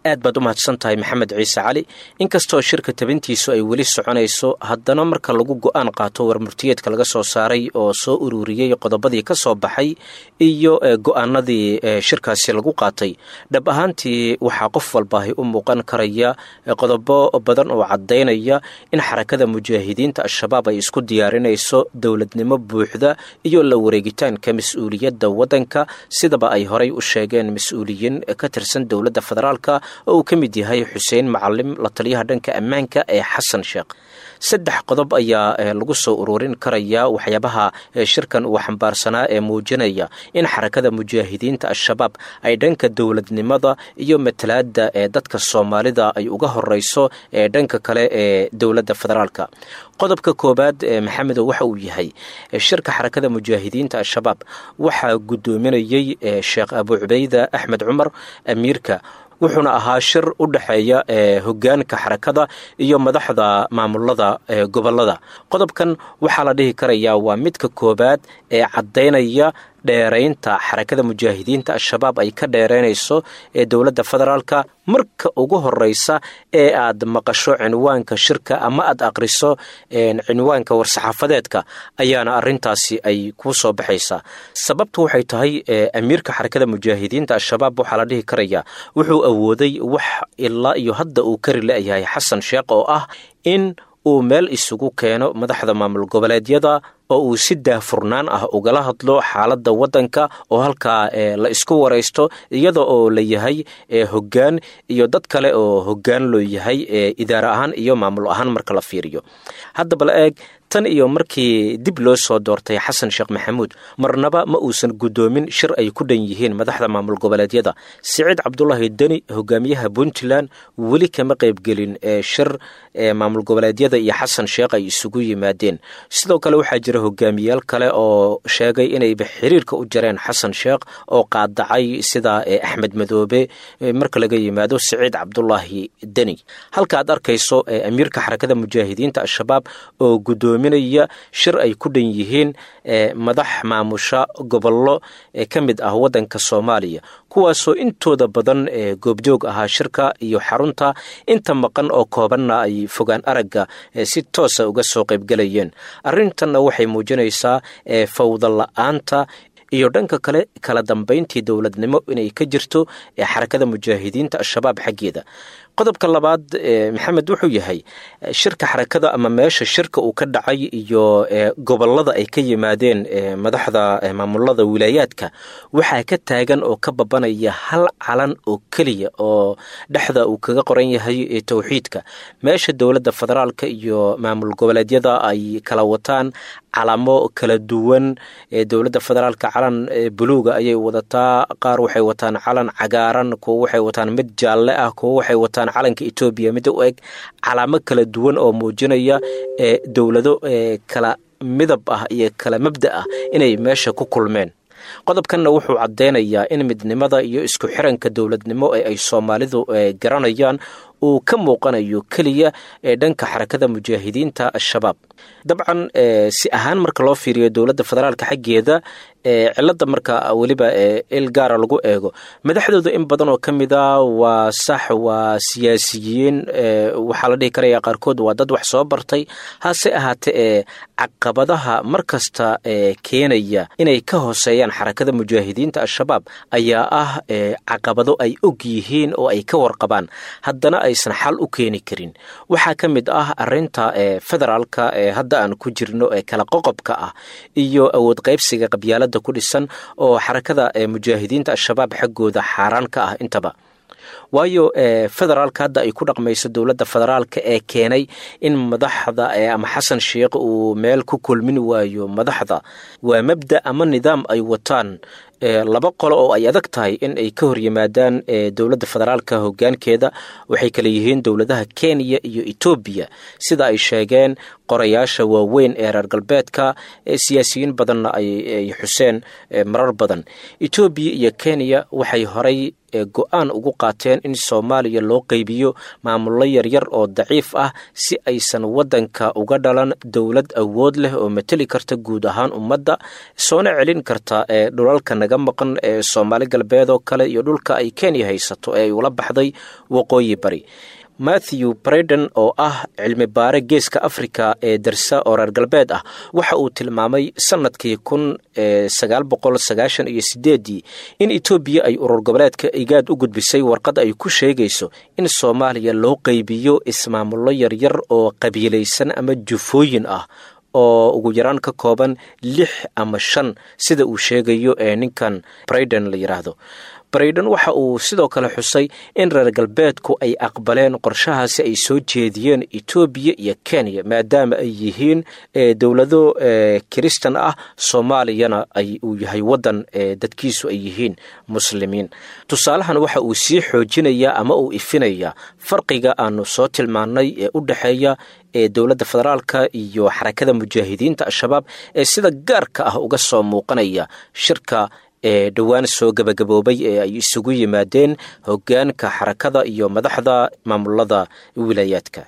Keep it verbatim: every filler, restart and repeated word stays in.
Aad baad u mahadsan tahay, Maxamed Ciise Cali. Inkastoo shirka tabintiisu ay weli soconayso, haddana marka lagu go-aan qaato warmurtiyeedka laga soo saaray oo soo ururiyey qodobadii ka soo baxay iyo go-aanadii shirkaasi lagu qaatay, dhab ahaantii waxaa qof walbaahi u muuqan karaya qodobo badan oo caddaynaya in Xarakada Mujaahidiinta Al-Shabaab ay isku diyaarinayso dowladnimo buuxda iyo la wareegitaanka mas-uuliyadda waddanka, sidaba ay horay u sheegeen mas-uuliyiin ka tirsan dowladda federaalka oo uu ka mid yahay Xuseen Macalim, la taliyaha dhanka ammaanka ee Xasan Sheekh. Saddex qodob ayaa lagu soo ururin karaya waxyaabaha shirkan uu xambaarsanaa ee muujinaya in Xarakada Mujaahidiinta Al-Shabaab ay dhanka dowladnimada iyo matalaadda ee dadka Soomaalida ay uga horeyso ee dhanka kale ee dowladda federaalka. Qodobka koowaad, Maxamedow, waxa uu yahay shirka Xarakada Mujaahidiinta Al-Shabaab waxaa guddoominayey Sheekh Abu Cubeyda Axmed Cumar, amiirka, wuxuuna ahaa shir u dhexeeya hogaanka xarakada iyo madaxda maamulada gobolada. Qodobkan waxaa la dhihi karayaa waa midka koowaad ee caddaynaya dheeraynta Xarakada Mujaahidiinta Al-Shabaab ay ka dheeraynayso ee dowladda federaalka. Marka ugu horeysa ee aad maqasho cinwaanka shirka ama aad aqriso cinwaanka war-saxaafadeedka ayaana arintaasi ay kuu soo baxaysaa. Sababtu waxay tahay, amiirka Xarakada Mujaahidiinta Al-Shabaab waxaa la dhihi karayaa wuxuu awooday wax ilaa iyo hadda uu kari la-yahay Xasan Sheekh, oo ah in uu meel isugu keeno madaxda maamul goboleedyada oo uu si daahfurnaan ah ugala hadlo xaaladda waddanka, oo halkaa la isku waraysto iyada oo la yahay hoggaan iyo dad kale oo hoggaan loo yahay idaara ahaan iyo maamul ahaan marka la fiiriyo. Haddaba la eeg, tan iyo markii dib loo soo doortay Xasan Sheekh Maxamuud, marnaba ma uusan guddoomin shir ay ku dhan yihiin madaxda maamul goboleedyada. Siciid Cabdulaahi Deni, hogaamiyaha Puntland, weli kama qaybgelin shir maamul goboleedyada iyo Xasan Sheekh ay isugu yimaadeen. Sidoo kale waxaa jira hogaamiyaal kale oo sheegay inayba xiriirka u jareen Xasan Sheekh oo qaadacay, sida Axmed Madoobe, marka laga yimaado Siciid Cabdulaahi Deni. Halka aad arkayso amiirka Xarakada Mujaahidiinta Al-Shabaab oo guddoominaya shir ay ku dhan yihiin madax maamusha gobollo ka mid ah waddanka Soomaaliya, kuwaasoo intooda badan goobjoog ahaa shirka iyo xarunta, inta maqan oo koobanna ay fogaan aragga si toosa uga soo qaybgelayeen. Arrintanna waxay muujinaysaa fawda la-aanta iyo dhanka kale kala dambayntii dowladnimo inay ka jirto Xarakada Mujaahidiinta Al-Shabaab xaggeeda. Qodobka labaad, Maxamed, wuxuu yahay shirka xarakada ama meesha shirka uu ka dhacay iyo gobolada ay ka yimaadeen madaxda maamulada wilaayaadka waxaa ka taagan oo ka babanaya hal calan oo keliya oo dhexda uu kaga qoran yahay towxiidka, meesha dowladda federaalka iyo maamul goboleedyada ay kala wataan calamo kala duwan. Dowladda federaalka calan buluuga ayay wadataa, qaar waxay wataan calan cagaaran, kuwo waxay wataan mid jaalle ah, kuwo waxay wataan calanka Etoobiya mid u eg, calaamo kala duwan oo muujinaya dowlado kala midab ah iyo kala mabda ah inay meesha ku kulmeen. Qodobkanna wuxuu caddeynayaa in midnimada iyo isku xiranka dowladnimo ee ay Soomaalidu garanayaan uu ka muuqanayo keliya ee dhanka Xarakada Mujaahidiinta Al-Shabaab. Dabcan, si ahaan marka loo fiiriyo dowladda federaalka xaggeeda, cilada marka weliba il gaara lagu eego madaxdooda, in badan oo ka mid a waa sax, waa siyaasiyiin, waxaa la dhihi karaya qaarkood waa dad wax soo bartay. Hase ahaatee ee caqabadaha mar kasta keenaya inay ka hooseeyaan Xarakada Mujaahidiinta Al-Shabaab ayaa ah caqabado ay og yihiin oo ay ka warqabaan, haddana aysan xal u keeni karin. Waxaa ka mid ah arinta federaalka ee hadda aan ku jirno ee kala qoqobka ah iyo awood qaybsiga qabyaalada ku dhisan oo Xarakada Mujaahidiinta Al-Shabaab xaggooda xaaraan ka ah intaba. Waayo, federaalka hadda ay ku dhaqmayso dowladda federaalka ee keenay in madaxda ama Xasan Sheekh uu meel ku kulmin waayo madaxda waa mabda ama nidaam ay wataan laba qolo oo ay adag tahay in ay ka hor yimaadaan dowladda federaalka hoggaankeeda. Waxay kale yihiin dowladaha Kenya iyo Etoobiya, sida ay sheegeen qorayaasha waaweyn ee reer galbeedka, siyaasiyiin badanna ay xuseen marar badan. Etoobiya iyo Kenya waxay horay go-aan ugu qaateen in Soomaaliya loo qaybiyo maamullo yaryar oo daciif ah, si aysan waddanka uga dhalan dowlad awood leh oo mateli karta guud ahaan ummadda, soona celin karta ee dhulalka naga maqan ee Soomaali Galbeed oo kale iyo dhulka ay Kenya haysato ee ay ula baxday Waqooyi Bari. Matthew Breden oo ah cilmi baare Geeska Africa ee darsa oo reer galbeed ah, waxa uu tilmaamay sanadkii kun sagaal boqol sagaashan iyo sideedii in Etoobiya ay urur goboleedka Igaad u gudbisay warqad ay ku sheegayso in Soomaaliya loo qaybiyo ismaamullo yaryar oo qabiilaysan ama jufooyin ah oo ugu yaraan ka kooban lix ama shan, sida uu sheegayo ee ninkan Briden la yidhaahdo. Brayden waxa uu sidoo kale xusay in reer galbeedku ay aqbaleen qorshahaasi ay soo jeediyeen Etoobiya iyo Kenya, maadaama ay yihiin dowlado kiristan ah, Soomaaliyana ay uu yahay waddan dadkiisu ay yihiin Muslimiin. Tusaalahan waxa uu sii xoojinayaa ama uu ifinayaa farqiga aanu soo tilmaannay ee u dhexeeya ee dowladda federaalka iyo Xarakada Mujaahidiinta Al-Shabaab ee sida gaarka ah uga soo muuqanaya shirka ee dhowaan soo gebagaboobay ee ay isugu yimaadeen hoggaanka xarakada iyo madaxda maamulada wilaayaadka.